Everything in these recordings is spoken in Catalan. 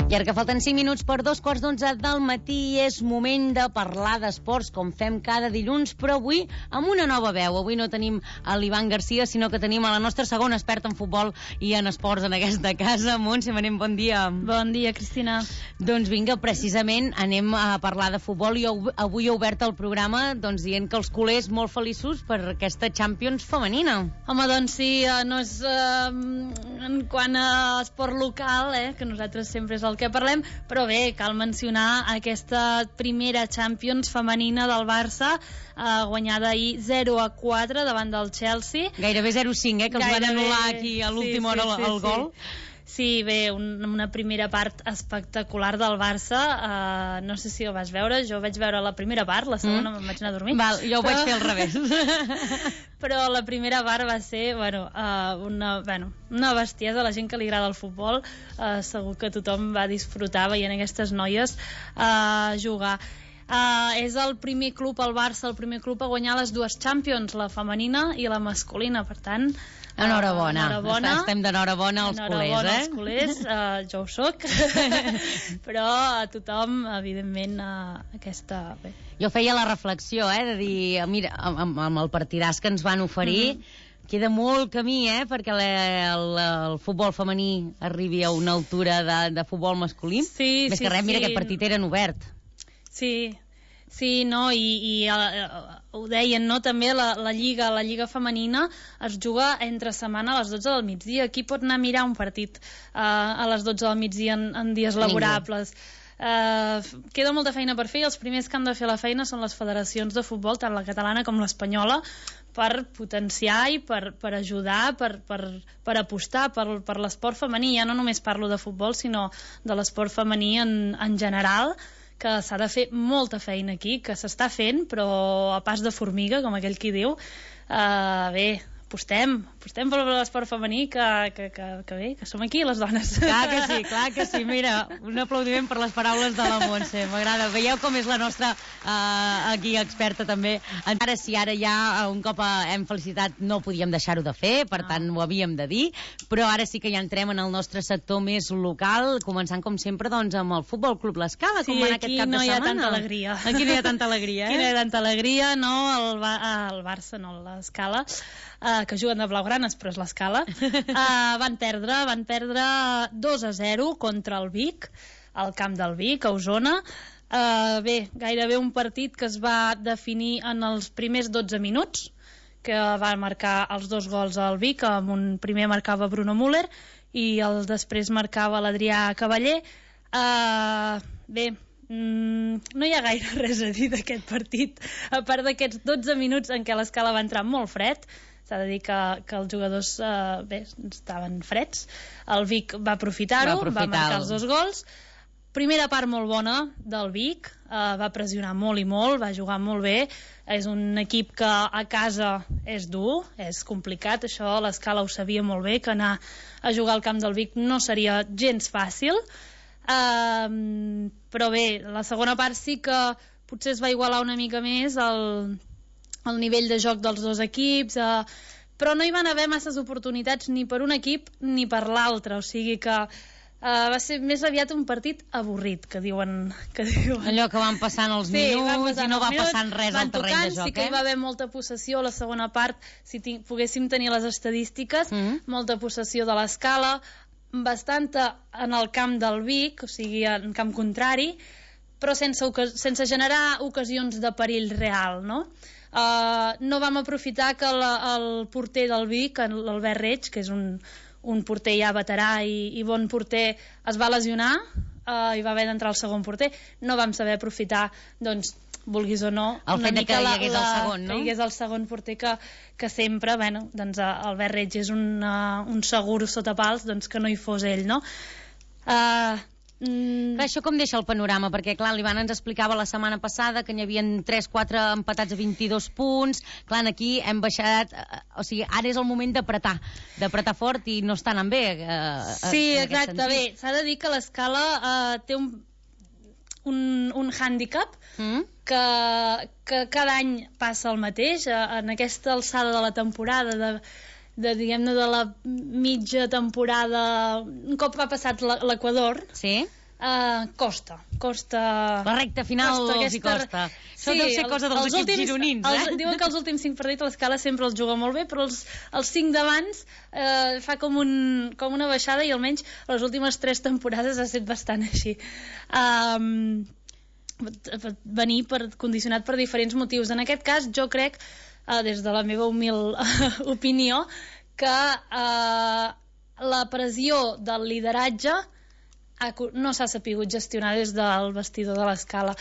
I ara que falten 5 minuts per 2:15 del matí, és moment de parlar d'esports, com fem cada dilluns, però avui amb una nova veu. Avui no tenim a l'Ivan Garcia, sinó que tenim a la nostra segona experta en futbol i en esports en aquesta casa. Montse Manent, bon dia. Bon dia, Cristina. Doncs vinga, precisament anem a parlar de futbol i avui he obert el programa dient que els culers molt feliços per aquesta Champions femenina. Home, doncs sí, no és en quant a esport local, que nosaltres sempre és el que parlem, però bé, cal mencionar aquesta primera Champions femenina del Barça, guanyada ahir 0-4 davant del Chelsea. Gairebé 0-5, que els van anul·lar aquí a l'última hora el gol. Sí, bé, una primera part espectacular del Barça. No sé si ho vas veure, jo vaig veure la primera part, la segona me'n vaig anar a dormir. Val, jo ho vaig fer al revés. Però la primera part va ser una bestiesa. A la gent que li agrada el futbol segur que tothom va disfrutar veient aquestes noies jugar. És el primer club, el Barça, el primer club a guanyar les dues Champions, la femenina i la masculina, per tant enhorabona. Estem d'enhorabona als culers, als culers, jo ho soc. Però a tothom, evidentment, aquesta... Bé. Jo feia la reflexió, de dir, mira, amb el partidàs que ens van oferir, queda molt camí, perquè el futbol femení arribi a una altura de futbol masculí. Sí, més que res, mira, aquest partit era en obert. Sí, no, i ho deien, no, també la Lliga femenina es juga entre setmana a les 12 del migdia. Qui pot anar a mirar un partit a les 12 del migdia en dies laborables? Queda molta feina per fer i els primers que han de fer la feina són les federacions de futbol, tant la catalana com l'espanyola, per potenciar i per ajudar, per apostar per l'esport femení. Ja no només parlo de futbol, sinó de l'esport femení en general, que s'ha de fer molta feina aquí, que s'està fent, però a pas de formiga, com aquell qui diu. Bé, apostem per l'esport femení, que bé, que som aquí les dones. Clar que sí, mira, un aplaudiment per les paraules de la Montse, m'agrada. Veieu com és la nostra aquí experta també. Ara sí, ara ja un cop hem felicitat no podíem deixar-ho de fer, per tant ho havíem de dir, però ara sí que ja entrem en el nostre sector més local, començant com sempre amb el Futbol Club L'Escala, com va anar aquest cap de setmana. Aquí no hi ha tanta alegria. Aquí no hi ha tanta alegria, Aquí no hi ha tanta alegria, no, el Barça, no, l'Escala, que juguen de blaugranes, però és l'Escala, van perdre 2-0 contra el Vic, al camp del Vic, a Osona. Bé, gairebé un partit que es va definir en els primers 12 minuts, que va marcar els 2 gols al Vic. Amb un primer marcava Bruno Müller i després marcava l'Adrià Cavaller. Bé, no hi ha gaire res a dir d'aquest partit, a part d'aquests 12 minuts en què l'Escala va entrar molt fred. S'ha de dir que els jugadors estaven freds. El Vic va aprofitar-ho, va marcar els 2 gols. Primera part molt bona del Vic, va pressionar molt i molt, va jugar molt bé. És un equip que a casa és dur, és complicat, això l'Escala ho sabia molt bé, que anar a jugar al camp del Vic no seria gens fàcil. Però bé, la segona part sí que potser es va igualar una mica més el nivell de joc dels dos equips, però no hi van haver masses oportunitats ni per un equip ni per l'altre, o sigui que va ser més aviat un partit avorrit, que diuen. Allò que van passant els minuts i no va passant res al terreny de joc. Sí que hi va haver molta possessió a la segona part, si poguéssim tenir les estadístiques, molta possessió de l'Escala, bastanta en el camp del Vic, o sigui en camp contrari, però sense generar ocasions de perill real, no? No vam aprofitar que el porter del Vic, l'Albert Reig, que és un porter ja veterà i bon porter, es va lesionar i va haver d'entrar el segon porter. No vam saber aprofitar, doncs, vulguis o no, el fet que hi hagués el segon, no? Que hi hagués el segon porter, que sempre, doncs Albert Reig és un segur sota pals, doncs que no hi fos ell, no? Això com deixa el panorama? Perquè clar, l'Ivan ens explicava la setmana passada que n'hi havia 3-4 empatats a 22 punts. Clar, aquí hem baixat, o sigui, ara és el moment d'apretar fort i no està anant bé. Sí, exacte, bé, s'ha de dir que l'Escala té un hàndicap que cada any passa el mateix. En aquesta alçada de la temporada, diguem-ne, de la mitja temporada, un cop ha passat l'Equador, sí, Costa. La recta final els hi costa. Això deu ser cosa dels equips gironins, Diuen que els últims 5 partits l'Escala sempre els juga molt bé, però els 5 d'abans fa com una baixada, i almenys les últimes 3 temporades ha estat bastant així. Venir condicionat per diferents motius. En aquest cas, jo crec, des de la meva humil opinió, que la pressió del lideratge no s'ha sapigut gestionar des del vestidor de l'Escala.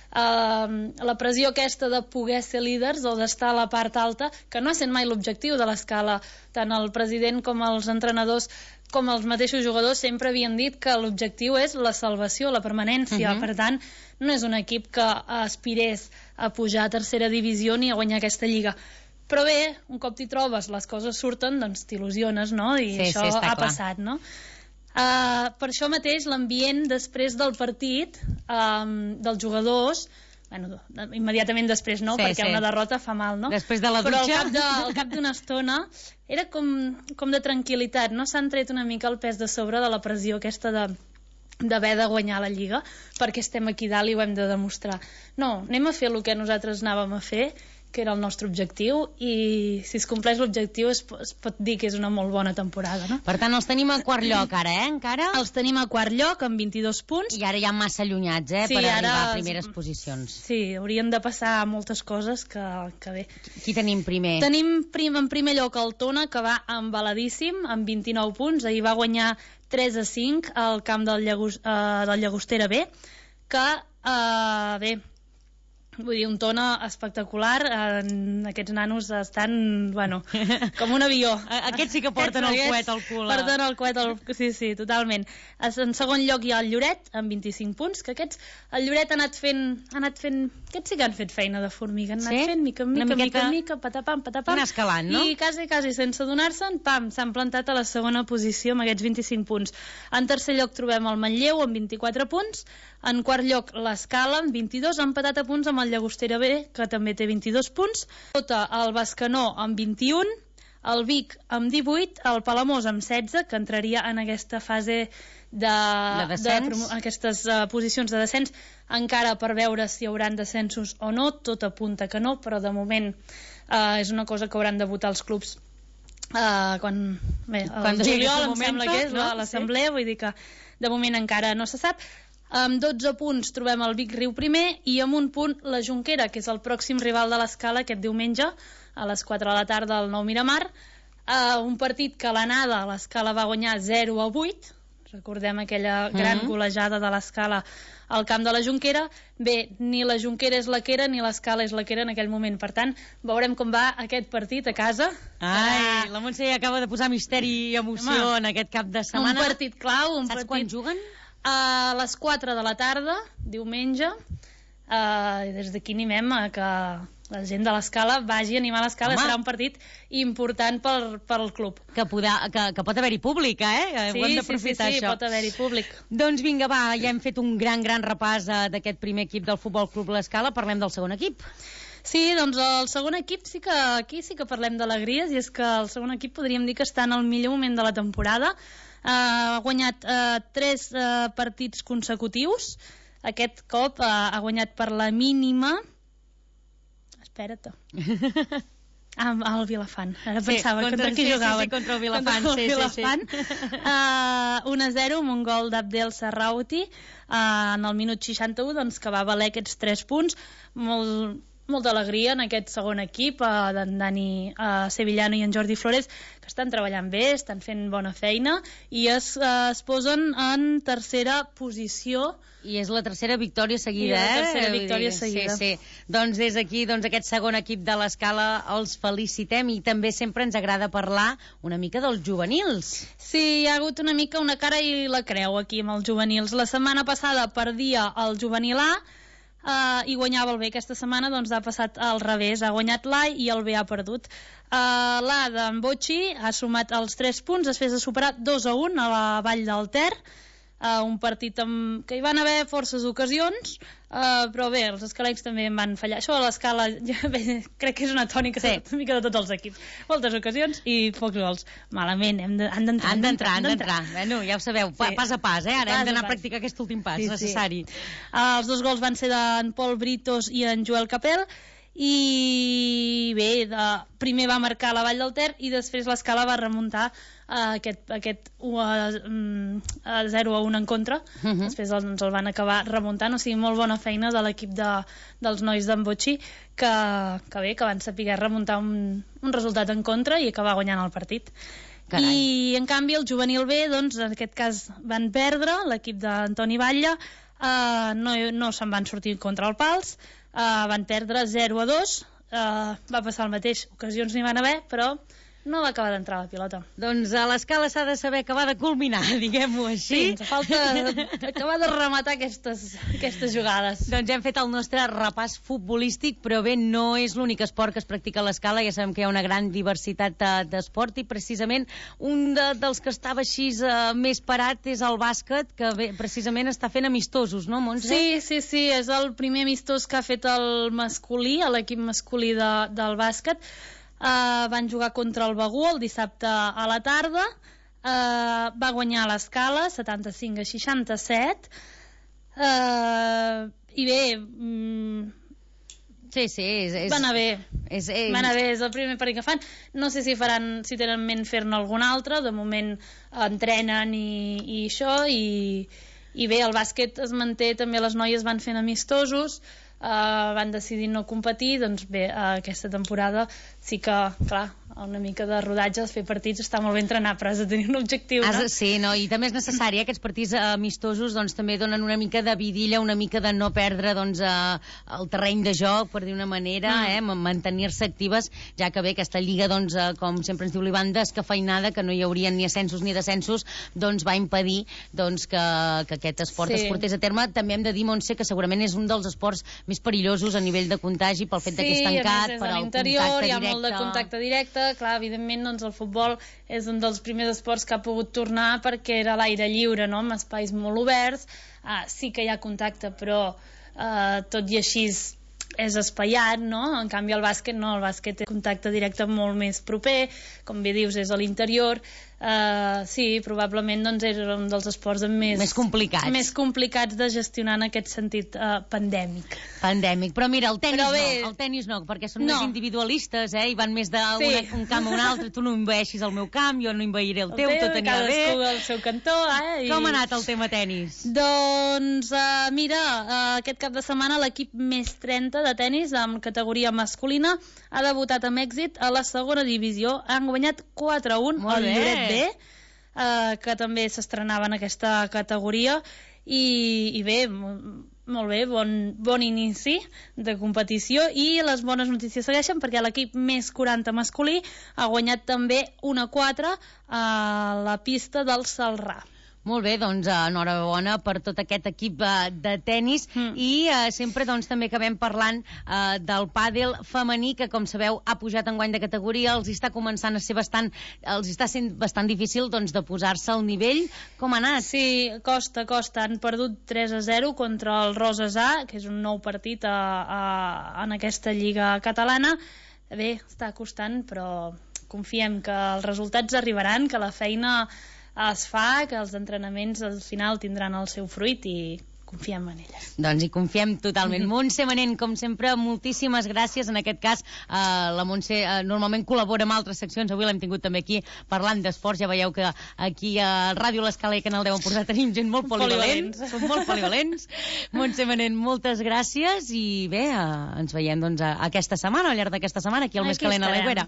La pressió aquesta de poder ser líders o d'estar a la part alta, que no ha sent mai l'objectiu de l'Escala. Tant el president com els entrenadors com els mateixos jugadors sempre havien dit que l'objectiu és la salvació, la permanència. Per tant, no és un equip que aspirés a pujar a tercera divisió ni a guanyar aquesta lliga. Però bé, un cop t'hi trobes, les coses surten, doncs t'il·lusiones, no? I això ha passat, no? Per això mateix l'ambient després del partit dels jugadors, bueno, immediatament després no, perquè una derrota fa mal, no? Després de la dutxa. Però al cap d'una estona era com de tranquil·litat, no? S'han tret una mica el pes de sobre de la pressió aquesta d'haver de guanyar la Lliga, perquè estem aquí dalt i ho hem de demostrar. No, anem a fer el que nosaltres anàvem a fer, que era el nostre objectiu, i si es compleix l'objectiu es pot dir que és una molt bona temporada, no? Per tant, els tenim a quart lloc ara, encara? Els tenim a quart lloc amb 22 punts. I ara ja massa allunyats, per arribar a primeres posicions. Sí, haurien de passar moltes coses que bé. Qui tenim primer? Tenim en primer lloc el Tona, que va embaladíssim, amb 29 punts. Ahir va guanyar 3-5 al camp del Llagostera B, que, bé, vull dir, un Tona espectacular. Aquests nanos estan, bueno, com un avió. Aquests sí que porten el coet al cul. Porten el coet al cul, sí, totalment. En segon lloc hi ha el Lloret, amb 25 punts, que el Lloret ha anat fent... Aquests sí que han fet feina de formiga, han anat fent mica en mica, patapam, anar escalant, no? I quasi sense donar-se'n, pam, s'han plantat a la segona posició amb aquests 25 punts. En tercer lloc trobem el Manlleu, amb 24 punts. En quart lloc l'Escala, amb 22, empatat a punts amb el Llagostera B, que també té 22 punts. Sota el Bescanó, amb 21. El Vic, amb 18. El Palamós, amb 16, que entraria en aquesta fase aquestes posicions de descens, encara per veure si hi hauran descensos o no. Tot apunta que no, però de moment és una cosa que hauran de votar els clubs quan juliol, em sembla que és l'assemblea, vull dir que de moment encara no se sap. Amb 12 punts trobem el Vic Riu primer, i amb un punt la Jonquera, que és el pròxim rival de l'Escala aquest diumenge a les 4 de la tarda al Nou Miramar. Un partit que a l'anada l'Escala va guanyar 0-8. Recordem aquella gran golejada de l'Escala al camp de la Jonquera. Bé, ni la Jonquera és la que era, ni l'Escala és la que era en aquell moment. Per tant, veurem com va aquest partit a casa. Ai, la Montse acaba de posar misteri i emoció en aquest cap de setmana. Un partit clau. Saps quan juguen? A les 4 de la tarda, diumenge. Des d'aquí animem a que la gent de l'Escala vagi a animar l'Escala. Serà un partit important pel club. Que pot haver-hi públic, eh? Ho hem d'aprofitar, això. Sí, pot haver-hi públic. Doncs vinga, va, ja hem fet un gran repàs d'aquest primer equip del Futbol Club l'Escala. Parlem del segon equip. Sí, doncs el segon equip aquí sí que parlem d'alegries, i és que el segon equip podríem dir que està en el millor moment de la temporada. Ha guanyat 3 partits consecutius. Aquest cop ha guanyat per la mínima. Espera't. El Vilafant. Ara pensava contra qui jugaven. Sí, contra el Vilafant. Sí. 1-0 amb un gol d'Abdel Serrauti en el minut 61, doncs, que va valer aquests 3 punts. Molta alegria en aquest segon equip, d'en Dani Sevillano i en Jordi Flores, que estan treballant bé, estan fent bona feina, i es posen en tercera posició. I és la tercera victòria seguida, la tercera victòria seguida. Sí. Doncs des d'aquí, aquest segon equip de l'Escala els felicitem, i també sempre ens agrada parlar una mica dels juvenils. Sí, hi ha hagut una mica una cara i la creu aquí amb els juvenils. La setmana passada perdia el juvenil A, i guanyava el B. Aquesta setmana doncs ha passat al revés, ha guanyat l'A i el B ha perdut. L'A d'en Botxi ha sumat els 3 punts després de superar 2-1 a la Vall del Ter. un partit que hi van haver forces ocasions, però bé, els escalencs també en van fallar. Això a l'escala crec que és una tònica una mica de tots els equips. Moltes ocasions i pocs gols. Malament, han d'entrar. Bueno, ja ho sabeu, pas a pas, ara hem d'anar a practicar aquest últim pas necessari. Els 2 gols van ser d'en Pol Britos i en Joel Capel, i bé, primer va marcar la Vall del Ter i després l'Escala va remuntar aquest 0-1 en contra. Després ens el van acabar remuntant, o sigui, molt bona feina de l'equip dels nois d'en Botxí, que bé, que van saber remuntar un resultat en contra i acabar guanyant el partit. Carai. I en canvi el juvenil B, doncs en aquest cas van perdre, l'equip d'Antoni Batlle, no se'n van sortir contra el Pals, van perdre 0-2, va passar el mateix, ocasions n'hi van haver, però no va acabar d'entrar la pilota. Doncs a l'Escala s'ha de saber acabar de culminar, diguem-ho així. Sí, ens falta acabar de rematar aquestes jugades. Doncs hem fet el nostre repàs futbolístic, però bé, no és l'únic esport que es practica a l'Escala, ja sabem que hi ha una gran diversitat d'esport i precisament un dels que estava així més parat és el bàsquet, que bé, precisament està fent amistosos, no, Montse? Sí, és el primer amistós que ha fet el masculí, l'equip masculí del bàsquet. Van jugar contra el Begur el dissabte a la tarda, va guanyar a l'Escala 75-67, i bé, va anar bé. És el primer partit que fan. No sé si tenen en ment fer-ne algun altre, de moment entrenen i això, i bé, el bàsquet es manté, també les noies van fent amistosos, van decidir no competir, doncs bé, aquesta temporada sí que, clar, una mica de rodatge, fer partits està molt bé entrenar, però has de tenir un objectiu, no? Sí, no? I també és necessari, aquests partits amistosos doncs també donen una mica de vidilla, una mica de no perdre doncs el terreny de joc, per dir una manera, mantenir-se actives, ja que bé, aquesta lliga, doncs, com sempre ens diu l'Ivan, descafeinada, que no hi haurien ni ascensos ni descensos, doncs va impedir doncs, que aquest esport es portés a terme. També hem de dir, Montse, que segurament és un dels esports més perillosos a nivell de contagi pel fet que és tancat, per al contacte directe. Hi ha molt de contacte directe, clar, evidentment doncs, el futbol és un dels primers esports que ha pogut tornar perquè era a l'aire lliure, no? Amb espais molt oberts, sí que hi ha contacte, però tot i així és espaiat, no? En canvi el bàsquet no, el bàsquet té contacte directe molt més proper, com bé dius, és a l'interior. Sí, probablement doncs, era un dels esports més complicats de gestionar en aquest sentit pandèmic. Però mira, el tenis no, perquè són més individualistes, i van més d'un camp a un altre. Tu no envaeixis el meu camp, jo no envairé el teu, tot anirà bé. Cadascú al seu cantó. Com ha anat el tema tenis? Doncs mira, aquest cap de setmana l'equip més 30 de tenis en categoria masculina ha debutat amb èxit a la segona divisió. Han guanyat 4-1 al Lloret B, que també s'estrenava en aquesta categoria, i bé, molt bé, bon inici de competició, i les bones notícies segueixen perquè l'equip més 40 masculí ha guanyat també 1-4 a la pista del Salrà. Molt bé, doncs enhorabona per tot aquest equip de tenis i sempre doncs també acabem parlant del pàdel femení, que com sabeu ha pujat enguany de categoria, els està començant a ser els està sent bastant difícil doncs de posar-se al nivell. Com ha anat? Sí, costa, han perdut 3-0 contra el Roses A, que és un nou partit en aquesta lliga catalana. Bé, està costant, però confiem que els resultats arribaran, que la feina es fa, que els entrenaments al final tindran el seu fruit i confiem en elles. Doncs hi confiem totalment. Montse Manent, com sempre, moltíssimes gràcies. En aquest cas, la Montse normalment col·labora amb altres seccions. Avui l'hem tingut també aquí parlant d'esports. Ja veieu que aquí a Ràdio L'Escala i Canal 10 Empordà tenim gent molt polivalent. Som molt polivalents. Montse Manent, moltes gràcies i bé, ens veiem doncs aquesta setmana, al llarg d'aquesta setmana, aquí al Més Calent a l'Aigüera.